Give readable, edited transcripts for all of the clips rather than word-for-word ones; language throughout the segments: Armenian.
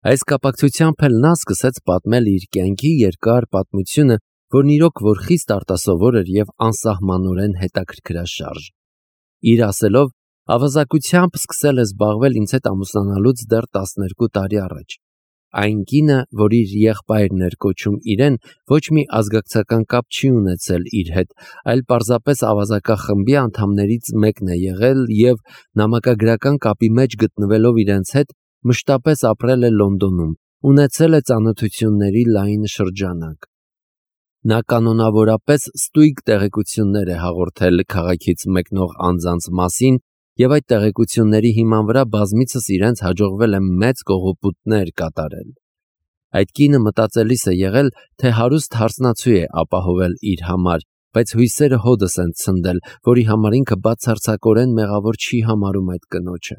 Այս կապակցությամբ էլ նա սկսեց պատմել իր կյանքի երկար պատմությունը, որն իրոք որ խիստ արտասովոր էր և անսահմանորեն հետաքրքրաշարժ։ Իր ասելով, ավազակությամբ սկսել է զբաղվել ինձ հետ ամուսնանալուց դեռ 12 տարի առաջ։ Այն կինը, որ իր եղբայրն էր կոչում իրեն, ոչ մի ազգակցական կապ չի ունեցել իր հետ, այլ պարզապես ավազակախմբի անդամներից մեկն է եղել և նամակագրական կապի մեջ գտնվելով իրենց հետ, մշտապես ապրել է Լոնդոնում, ունեցել է ծանոթությունների լայն շրջանակ։ Նա կանոնավորապես ստույգ տեղեկություններ է հաղորդել քաղաքից մեկնող անձանց մասին և այդ տեղեկությունների հիման վրա բազմիցս իրենց հաջողվել է մեծ կողոպուտներ կատարել։ Այդ կինը մտածելիս է եղել, թե հարուստ հարսնացու է ապահովել իր համար, բայց հույսերը հօդս են ցնդել, որի համար ինքը բացարձակորեն մեղավոր չի համարում այդ կնոջը։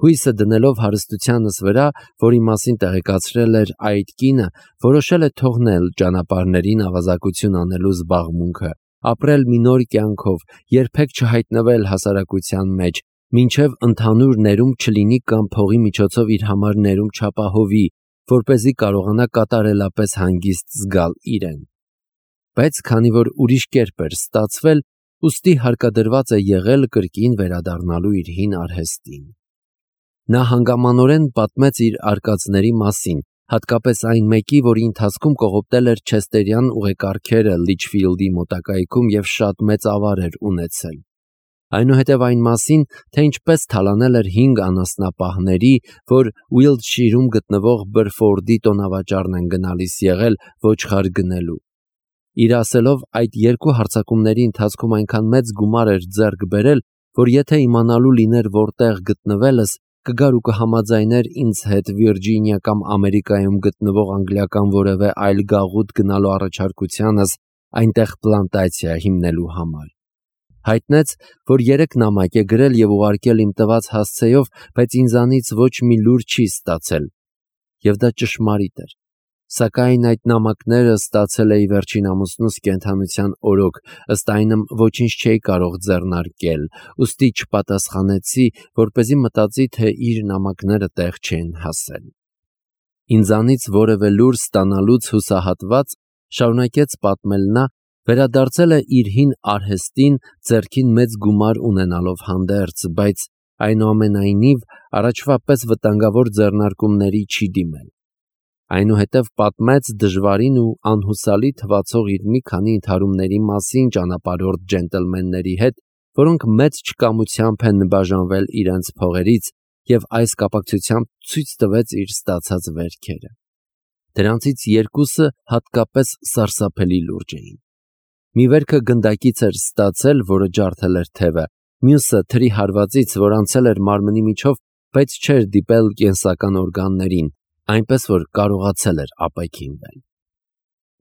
Հույսը դնելով հարստությանս վրա, որի մասին տեղեկացրել էր այդ կինը, որոշել է թողնել ճանապարհներին ավազակություն անելու զբաղմունքը, ապրել մի նոր կյանքով, երբեք չհայտնվել հասարակության մեջ, մինչև ընդհանուր ներում չլինի կամ փողի միջոցով իր համար ներում չապահովի, որպեսզի կարողանա կատարելապես հանգիստ զգալ իրեն։ Բայց քանի որ ուրիշ կերպ էր ստացվել, ուստի հարկադրված է եղել կրկին վերադառնալու իր հին արհեստին։ Նա հանգամանորեն պատմեց իր արկածների մասին, հատկապես այն մեկի, որի ընթացքում կողոպտել էր չեսթերյան ուղեկարգերը Լիչֆիլդի մոտակայքում և շատ մեծ ավար էր ունեցել։ Այնուհետև այն մասին, թե ինչպես թալանել էր 5 անասնապահների, որ Ուիլտշիրում գտնվող Բրֆորդի տոնավաճառն են գնալիս եղել ոչխար գնելու։ Իր ասելով, այդ 2 հարձակումների ընթացքում այնքան մեծ գումար էր ձեռք բերել, որ եթե իմանալու լիներ որտեղ գտնվելս, կգար ու կհամաձայներ ինձ հետ Վիրջինիա կամ Ամերիկայում գտնվող անգլիական որևէ այլ գաղութ գնալու առաջարկությանս այնտեղ պլանտացիա հիմնելու համար։ Հայտնեց, որ 3 նամակ է գրել և ուղարկել իմ տված հասցեով, բայց ինձանից ոչ մի լուր չի ստացել։ Եվ դա ճշմարիտ էր։ Սակայն այդ նամակները ստացել էի վերջին ամուսնուս կենդանության օրոք, ըստ այնմ ոչինչ չէի կարող ձեռնարկել, ուստի չպատասխանեցի, որպեսզի մտածի, թե իր նամակները տեղ չեն հասել։ Ինձանից որևէ լուր ստանալուց հուսահատված, շարունակեց պատմել նա, վերադարձել է իր հին արհեստին ձեռքին մեծ գումար ունենալով հանդերձ, բայց այնուամենայնիվ առաջվա պես վտանգավոր ձեռնարկումների չի դիմել։ Այնուհետև պատմեց դժվարին ու անհուսալի թվացող իր մի քանի ընդհարումների մասին ճանապարհորդ ջենտլմենների հետ, որոնք մեծ չկամությամբ են բաժանվել իրենց փողերից, և այս կապակցությամբ ցույց տվեց իր ստացած վերքերը։ Դրանցից 2-ը հատկապես սարսափելի լուրջ էին։ Մի վերքը գնդակից էր ստացել, որը ջարդել էր թևը, մյուսը թրի հարվածից, որ անցել էր մարմնի միջով, բայց չէր դիպել կենսական օրգաններին, այնպես որ կարողացել էր ապաքինվել։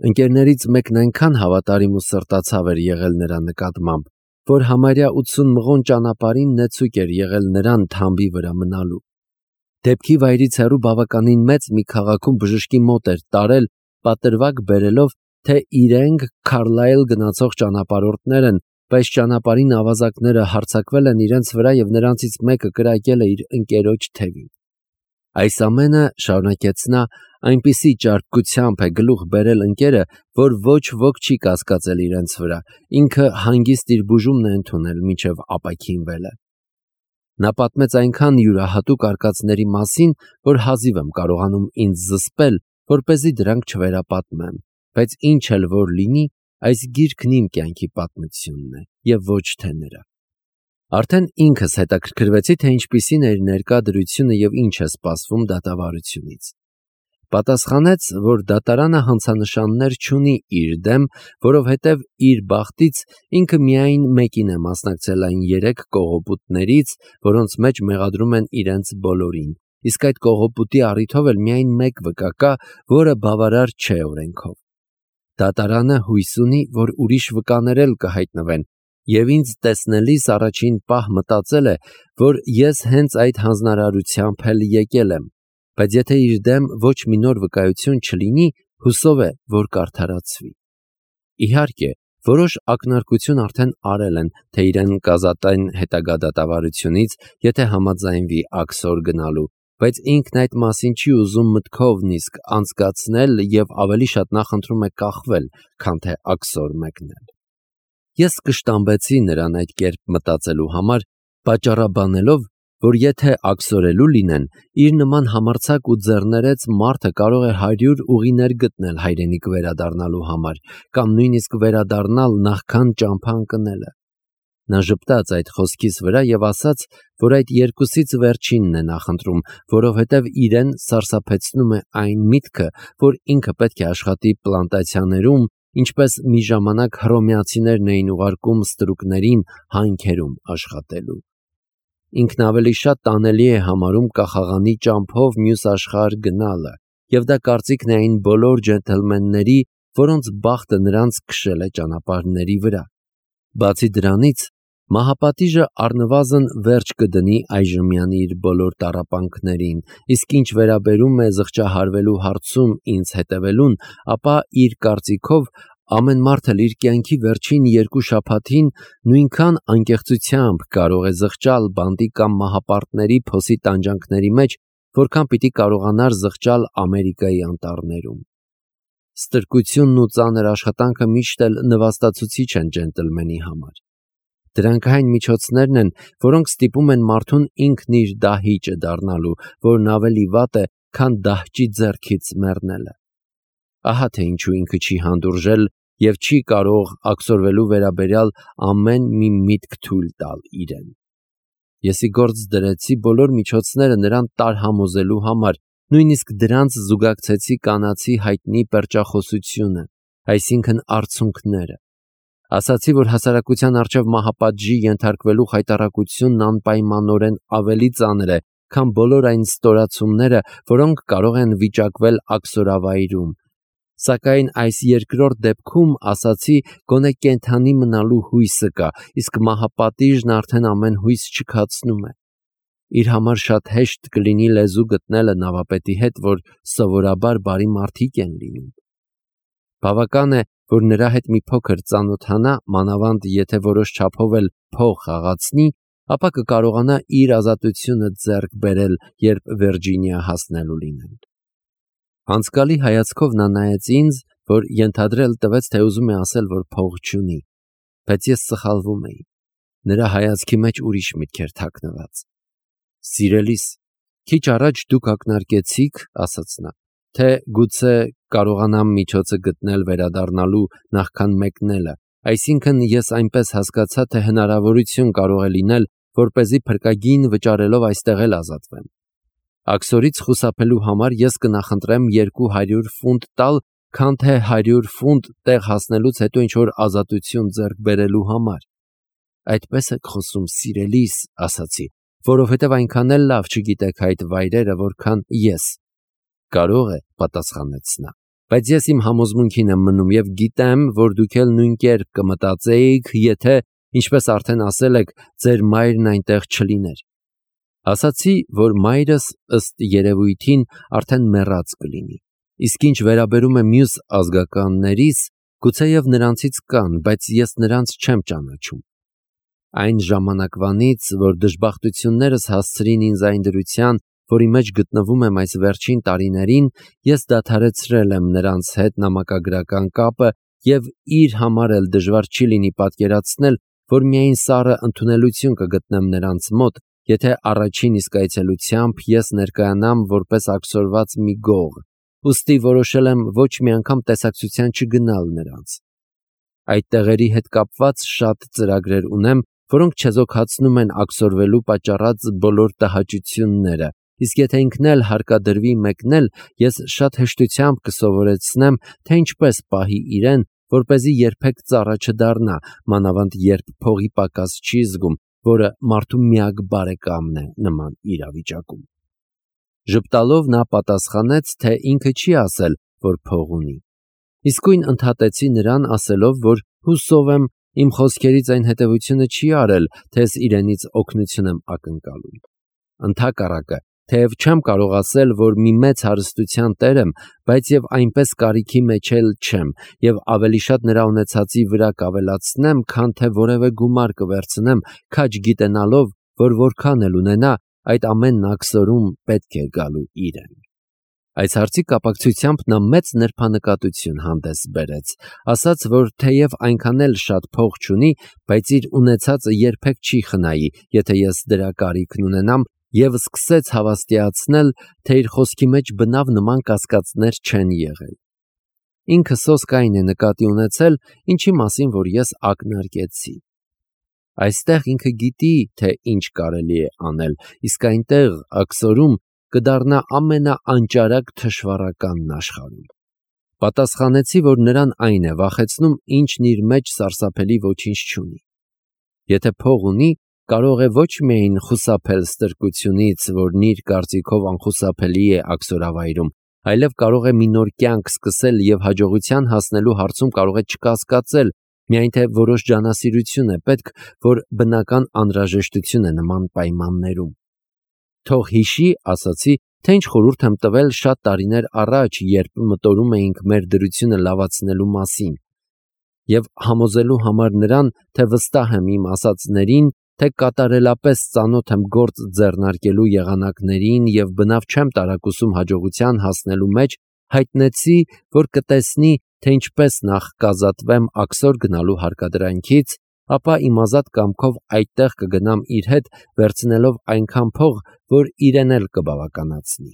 Ընկերներից մեկն այնքան հավատարիմ ու սրտացավ էր եղել նրա նկատմամբ, որ համարյա 80 մղոն ճանապարհին նեցուկ էր եղել նրան թամբի վրա մնալու։ Դեպքի վայրից հեռու բավականին մեծ մի քաղաքում բժշկի մոտ էր տարել, պատրվակ բերելով, թե իրենք Քարլայլ գնացող ճանապարհորդներ են, բայց ճանապարհին ավազակները հարձակվել են իրենց վրա և նրանցից մեկը կրակել է իր ընկերոջ թևին։ Այս ամենը, շարունակեց նա, այնպիսի ճարպկությամբ է գլուխ բերել ընկերը, որ ոչ ոք չի կասկածել իրենց վրա, ինքը հանգիստ իր բուժումն է ընդունել մինչև ապաքինվել է։ Նա պատմեց այնքան յուրահատուկ արկածների մասին, որ հազիվ եմ կարողանում ինձ զսպել, որպեսզի դրանք չվերապատմեմ, բայց ինչ էլ որ լինի, այս գիրքն իմ կյանքի պատմությունն է և ոչ թե նրա։ Արդեն ինքս հետաքրքրվեցի, թե ինչպիսին է իր ներկա դրությունը և ինչ է սպասվում դատավարությունից։ Պատասխանեց, որ դատարանը հանցանշաններ չունի իր դեմ, որովհետև իր բախտից ինքը միայն մեկին է մասնակցել այն 3 կողոպուտներից, որոնց մեջ մեղադրում են իրենց բոլորին, իսկ այդ կողոպուտի առիթով էլ միայն 1 վկա կա, որը բավարար չէ օրենքով։ Դատարանը հույս ունի, որ ուրիշ վկաներ էլ կհայտնվեն, և ինձ տեսնելիս առաջին պահ մտածել է, որ ես հենց այդ հանձնարարությամբ էլ եկել եմ, բայց եթե իր դեմ ոչ մի նոր վկայություն չլինի, հուսով է, որ կարդարացվի։ Իհարկե, որոշ ակնարկություն արդեն արել են, թե իրեն կազատեն հետագա դատավարությունից, եթե համաձայնվի աքսոր գնալու, բայց ինքն այդ մասին չի ուզում մտքով նիսկ անցկացնել և ավելի շատ նախընտրում է կախվել, քան թե աքսոր մեկնել։ Ես կշտամբեցի նրան այդ կերպ մտածելու համար, պատճառաբանելով, որ եթե աքսորելու լինեն, իր նման համարձակ ու ձեռներեց մարդը կարող է 100 ուղիներ գտնել հայրենիք վերադառնալու համար, կամ նույնիսկ վերադառնալ նախքան ճամփա ընկնելը։ Նա ժպտաց այդ խոսքիս վրա և ասաց, որ այդ երկուսից վերջինն է նախընտրում, որովհետև իրեն սարսափեցնում է այն միտքը, որ ինքը պետք է աշխատի պլանտացիաներում, ինչպես մի ժամանակ հռոմեացիներն էին ուղարկում ստրուկներին հանքերում աշխատելու։ Ինքն ավելի շատ տանելի է համարում կախաղանի ճամփով մյուս աշխարհ գնալը, և դա կարծիքն է այն բոլոր ջենթլմենների, որոնց բախտը նրանց քշել է ճանապարհների վրա։ Բացի դրանից, մահապատիժը առնվազն վերջ կդնի այժմյան իր բոլոր տառապանքներին, իսկ ինչ վերաբերում է զղջահարվելու հարցում ինձ հետևելուն, ապա իր կարծիքով ամեն մարդ էլ իր կյանքի վերջին 2 շաբաթին նույնքան անկեղծությամբ կարող է զղջալ բանտի կամ մահապարտների փոսի տանջանքների մեջ, որքան պիտի կարողանար զղջալ Ամերիկայի անտառներում։ Ստրկությունն ու ծանր աշխատանքը միշտ էլ նվաստացուցիչ են ջենտլմենի համար։ Դրանք այն միջոցներն են, որոնք ստիպում են մարդուն ինքն իր դահիճը դառնալու, որն ավելի վատ է, քան դահճի ձեռքից մեռնելը։ Ահա թե ինչու ինքը չի հանդուրժել և չի կարող աքսորվելու վերաբերյալ ամեն մի միտք թույլ տալ իրեն։ Ես ի գործ դրեցի բոլոր միջոցները նրան տարհամոզելու համար, նույնիսկ դրանց զուգակցեցի կանացի հայտնի պերճախոսությունը, այսինքն արցունքները։ Ասացի, որ հասարակության առջև մահապատժի ենթարկվելու խայտառակությունն անպայմանորեն ավելի ծանր է, քան բոլոր այն ստորացումները, որոնք կարող են վիճակվել աքսորավայրում։ Սակայն այս երկրորդ դեպքում, ասացի, գոնե կենդանի մնալու հույսը կա, իսկ մահապատիժն արդեն ամեն հույս չքացնում է։ Իր համար շատ հեշտ կլինի լեզու գտնելը նավապետի հետ, որ սովորաբար բարի մարդիկ են լինում։ Բավական է, որ նրա հետ մի փոքր ծանոթանա, մանավանդ եթե որոշ չափով էլ փող խաղացնի, ապա կկարողանա իր ազատությունը ձեռք բերել, երբ Վիրջինիա հասնելու լինեն։ Անցկալի հայացքով նա նայեց ինձ, որ ենթադրել տվեց, թե ուզում է ասել, որ փող չունի, բայց ես սխալվում էի։ Նրա հայացքի մեջ ուրիշ միտք էր թաքնված։ Սիրելիս, քիչ առաջ դուք ակնարկեցիք, ասաց նա, թե գուցե կարողանամ միջոցը գտնել վերադառնալու նախքան մեկնելը, այսինքն ես այնպես հասկացա, թե հնարավորություն կարող է լինել, որպեսզի փրկագին վճարելով այստեղ էլ ազատվեմ։ Աքսորից խուսափելու համար ես կնախընտրեմ 200 ֆունտ տալ, քան թե 100 ֆունտ տեղ հասնելուց հետո ինչ-որ ազատություն ձեռք բերելու համար։ Այդպես եք խոսում, սիրելիս, ասացի, որովհետև այնքան էլ լավ չգիտեք այդ վայրերը, որքան ես։ Կարող է, պատասխանեց նա, բայց ես իմ համոզմունքին եմ մնում և գիտեմ, որ դուք էլ նույն կերպ կմտածեիք, եթե, ինչպես արդեն ասել եք, ձեր մայրն այնտեղ չլիներ։ Ասացի, որ մայրս ըստ երևույթին արդեն մեռած կլինի, իսկ ինչ վերաբերում է մյուս ազգականներիս, գուցեև նրանցից կան, բայց ես նրանց չեմ ճանաչում։ Այն ժամանակվանից, որ դժբախտություններս հասցրին ինձ այն դրության, որի մեջ գտնվում եմ այս վերջին տարիներին, ես դադարեցրել եմ նրանց հետ նամակագրական կապը և իր համար էլ դժվար չի լինի պատկերացնել, որ միայն սառը ընդունելություն կգտնեմ նրանց մոտ, եթե առաջին իսկ այցելությամբ ես ներկայանամ որպես աքսորված մի գող, ուստի որոշել եմ ոչ մի անգամ տեսակցության չգնալ նրանց։ Այդ տեղերի հետ կապված շատ ծրագրեր ունեմ, որոնք չեզոքացնում են աքսորվելու պատճառած բոլոր տհաճությունները, իսկ եթե ինքն էլ հարկադրվի մեկնել, ես շատ հեշտությամբ կսովորեցնեմ, թե ինչպես պահի իրեն, որպեսզի երբեք ծառա չդառնա, մանավանդ երբ փողի պակաս չի զգում, որը մարդու միակ բարեկամն է նման իրավիճակում։ Ժպտալով նա պատասխանեց, թե ինքը չի ասել, որ փող ունի։ Իսկույն ընդհատեցի նրան, ասելով, որ հուսով եմ, իմ խոսքերից այն հետևությունը չի արել, թե ես իրենից օգնություն եմ ակնկալում։ Ընդհակառակը, թեև չեմ կարող ասել, որ մի մեծ հարստության տեր եմ, բայց եւ այնպես կարիքի մեջ էլ չեմ, եւ ավելի շատ նրա ունեցածի վրա կավելացնեմ, քան թե որևէ գումար կվերցնեմ, քաջ գիտենալով, որ որքան էլ ունենա, այդ ամենն աքսորում պետք է գալու իրեն։ Այս հարցի կապակցությամբ նա մեծ նրբանկատություն հանդես բերեց, ասաց, որ թեև այնքան էլ շատ փող չունի, բայց իր ունեցածը երբեք չի խնայի, եթե ես դրա կարիքն ունենամ, եւ սկսեց հավաստիացնել, թե իր խոսքի մեջ բնավ նման կասկածներ չեն եղել։ Ինքը սոսկային է նկատի ունեցել, ինչի մասին որ ես ակնարկեցի։ Այստեղ ինքը գիտի, թե ինչ կարելի է անել, իսկ այնտեղ աքսորում կդառնա ամենաանճարակ թշվառականն աշխարհում։ Պատասխանեցի, որ նրան այն է վախեցնում, ինչն իր մեջ սարսափելի ոչինչ չունի։ Եթե փող ունի, կարող է ոչ միայն խուսափել ստրկությունից, որն իր կարծիքով անխուսափելի է աքսորավայրում, այլև կարող է մի նոր կյանք սկսել եւ հաջողության հասնելու հարցում կարող է չկասկածել, միայն թե որոշ ջանասիրություն է պետք, որ բնական անհրաժեշտություն է նման պայմաններում։ Թող հիշի, ասացի, թե ինչ խորհուրդ եմ տվել շատ տարիներ առաջ, երբ մտորում էինք մեր դրությունը լավացնելու մասին, եւ համոզելու համար նրան, թե վստահ եմ իմ ասածներին, թե կատարելապես ծանոթ եմ գործ ձեռնարկելու եղանակներին եւ բնավ չեմ տարակուսում հաջողության հասնելու մեջ, հայտնեցի, որ կտեսնի, թե ինչպես նախ կազատվեմ աքսոր գնալու հարկադրանքից, ապա իմ ազատ կամքով այդտեղ կգնամ իր հետ, վերցնելով այնքան փող, որ իրեն էլ կբավականացնի։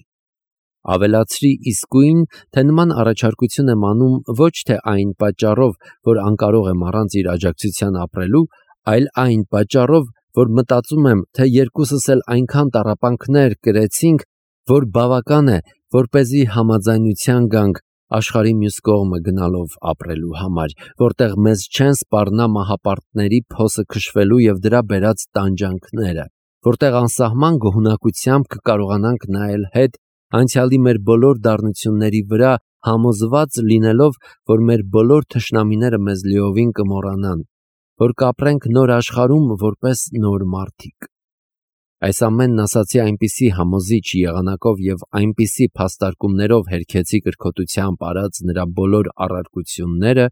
Ավելացրի իսկույն, թե նման առաջարկություն եմ անում ոչ թե այն պատճառով, որ անկարող եմ առանց իր աջակցության ապրելու, այլ այն պատճառով, որ մտածում եմ, թե երկուսս էլ այնքան տառապանքներ կրեցինք, որ բավական է, որպեսզի համաձայնության գանք աշխարհի մյուս կողմը գնալով ապրելու համար, որտեղ մեզ չեն սպառնա մահապարտների փոսը քշվելու եւ դրա բերած տանջանքները, որտեղ անսահման գոհունակությամբ կկարողանանք նայել հետ անցյալի մեր բոլոր դառնությունների վրա, համոզված լինելով, որ մեր բոլոր թշնամիները մեզ լիովին կմոռանան, որ կապրենք նոր աշխարհում որպես նոր մարդիկ։ Այս ամենն ասացի այնպիսի համոզիչ եղանակով եւ այնպիսի փաստարկումներով հերքեցի կրկոտությամբ արած նրա բոլոր առարկությունները,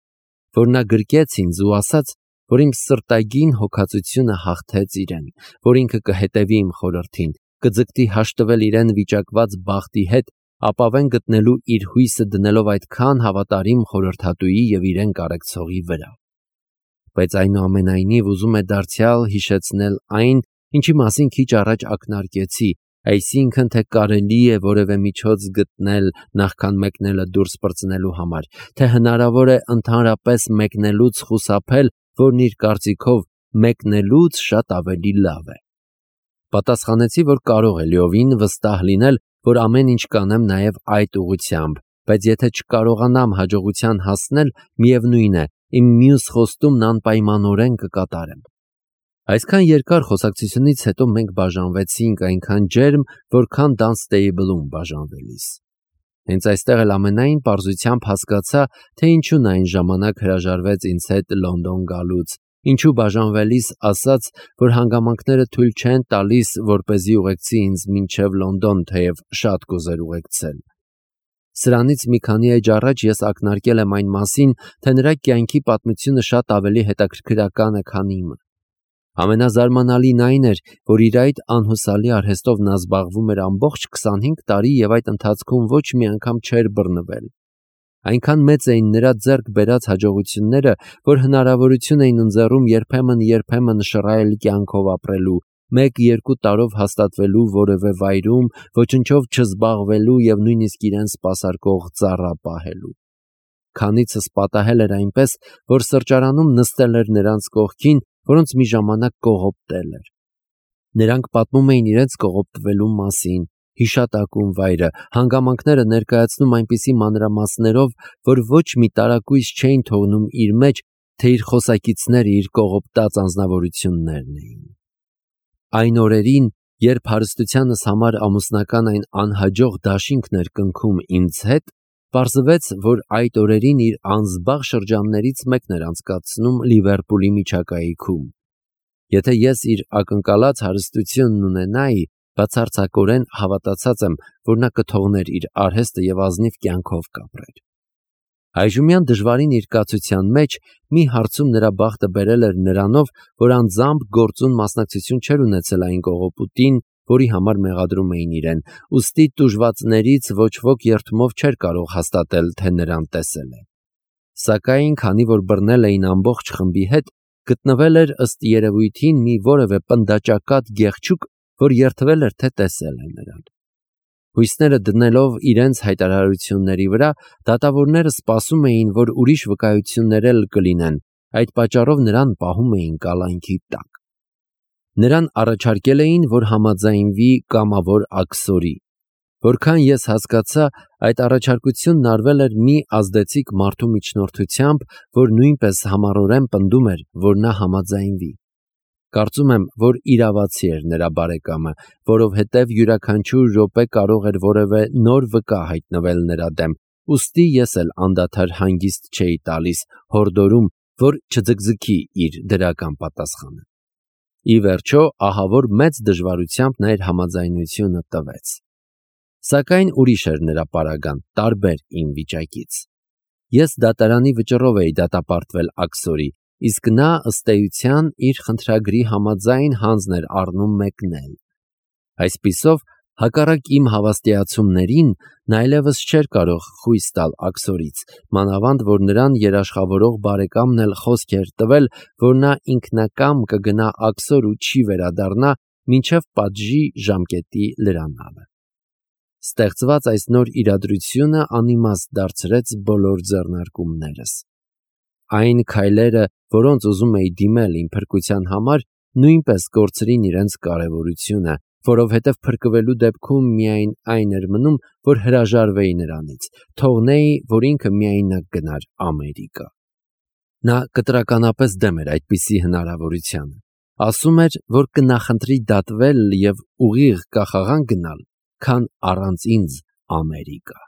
որ նա գրկեց ինձ ու ասաց, որ իմ սրտագին հոգացությունը հաղթեց իրեն, որ ինքը կհետևի իմ խորհրդին, կձգտի հաշտվել իրեն վիճակված բախտի հետ, ապավեն գտնելու իր հույսը դնելով այդքան հավատարիմ խորհրդատուի եւ իրեն կարեկցողի վրա։ Բայց այնուամենայնիվ ուզում է դարձյալ հիշեցնել այն, ինչի մասին քիչ առաջ ակնարկեցի, այսինքն թե կարելի է որևէ միջոց գտնել նախքան մեկնելը դուրս պրծնելու համար, թե հնարավոր է ընդհանրապես մեկնելուց խուսափել, որն իր կարծիքով մեկնելուց շատ ավելի լավ է։ Պատասխանեցի, որ կարող է լիովին վստահ լինել, որ ամեն ինչ կանեմ նաև այդ ուղղությամբ, բայց եթե չկարողանամ հաջողության հասնել, միևնույն է, իմ մյուս խոստումն անպայմանորեն կկատարեմ։ Այսքան երկար խոսակցությունից հետո մենք բաժանվեցինք այնքան ջերմ, որքան Dunstable-ում բաժանվելիս։ Հենց այստեղ էլ ամենայն պարզությամբ հասկացա, թե ինչու այն ժամանակ հրաժարվեց ինձ հետ Լոնդոն գալուց, ինչու բաժանվելիս ասաց, որ հանգամանքները թույլ չեն տալիս, որպեսզի ուղեկցի ինձ մինչև Լոնդոն, թեև շատ կուզեր ուղեկցել։ Սրանից մի քանի էջ առաջ ես ակնարկել եմ այն մասին, թե նրա կյանքի պատմությունը շատ ավելի հետաքրքրական է, քան իմը։ Ամենազարմանալին այն էր, որ իր այդ անհուսալի արհեստով նա զբաղվում էր ամբողջ 25 տարի եւ այդ ընթացքում ոչ մի անգամ չէր բռնվել։ Այնքան մեծ էին նրա ձեռք բերած հաջողությունները, որ հնարավորություն էին ընձեռում երբեմն շռայլ կյանքով ապրելու, 1-2 տարով հաստատվելու որևէ վայրում, ոչնչով չզբաղվելու եւ նույնիսկ իրեն սպասարկող ծառա պահելու։ Քանիցս պատահել էր այնպես, որ սրճարանում նստել էր նրանց կողքին, որոնց մի ժամանակ կողոպտել էր։ Նրանք պատմում էին իրենց կողոպտվելու մասին, հիշատակում վայրը, հանգամանքները ներկայացնում այնպիսի մանրամասներով, որ ոչ մի տարակույս չէին թողնում իր մեջ, թե իր խոսակիցները իր կողոպտած անձնավորություններն էին։ Այն օրերին, երբ հարստությանս համար ամուսնական այն անհաջող դաշինքն էր կնքում ինձ հետ, պարզվեց, որ այդ օրերին իր անզբաղ շրջաններից մեկն էր անցկացնում Լիվերպուլի միջակայքում։ Եթե ես իր ակնկալած հարստությունն ունենայի, բացարձակորեն հավատացած եմ, որ նա կթողներ իր արհեստը եւ ազնիվ կյանքով կապրեր։ Այժմյան դժվարին իր կացության մեջ մի հարցում նրա բախտը բերել էր նրանով, որ անձամբ գործուն մասնակցություն չէր ունեցել այն կողոպուտին, որի համար մեղադրում էին իրեն, ուստի տուժվածներից ոչ ոք երդումով չէր կարող հաստատել, թե նրան տեսել է։ Սակայն, քանի որ բռնել էին ամբողջ խմբի հետ, գտնվել էր ըստ երևույթին մի որևէ պնդաճակատ գեղչուկ, որ երդվել էր, թե տեսել է նրան։ Հույսները դնելով իրենց հայտարարությունների վրա, դատավորները սպասում էին, որ ուրիշ վկայություններ էլ կլինեն, այդ պատճառով նրան պահում էին կալանքի տակ։ Նրան առաջարկել էին, որ համաձայնվի կամավոր աքսորի։ Որքան ես հասկացա, այդ առաջարկությունն արվել էր մի ազդեցիկ մարդու միջնորդությամբ, որ նույնպես համառորեն պնդում էր, որ նա համաձայնվի։ Կարծում եմ, որ իրավացի էր նրա բարեկամը, որովհետև յուրաքանչյուր րոպե կարող էր որևէ նոր վկա հայտնվել նրա դեմ, ուստի ես էլ անդադար հանգիստ չէի տալիս, հորդորում, որ չձգձգի իր դրական պատասխանը։ Ի վերջո, ահավոր մեծ դժվարությամբ նա իր համաձայնությունը տվեց։ Սակայն ուրիշ էր նրա պարագան, տարբեր իմ վիճակից։ Ես դատարանի վճռով էի դատապարտվել աքսորի, իսկ նա ըստ էության իր խնդրագրի համաձայն հանձն էր առնում մեկնել։ Այսպիսով, հակառակ իմ հավաստիացումներին, նա այլևս չէր կարող խույս տալ աքսորից, մանավանդ որ նրան երաշխավորող բարեկամն էլ խոսք էր տվել, որ նա ինքնակամ կգնա աքսոր ու չի վերադառնա, մինչև պատժի ժամկետի լրանալը։ Ստեղծված այս նոր իրադրությունը անիմաստ դարձրեց բոլոր ձեռնարկումներս։ Այն քայլերը, որոնց ուզում էի դիմել իմ փրկության համար, նույնպես կորցրին իրենց կարևորությունը, որովհետև փրկվելու դեպքում միայն այն էր մնում, որ հրաժարվեի նրանից, թողնեի, որ ինքը միայնակ գնար Ամերիկա։ Նա կտրականապես դեմ էր այդպիսի հնարավորությանը։ Ասում էր, որ կնախընտրի դատվել և ուղիղ կախաղան գնալ, քան առանց ինձ Ամերիկա։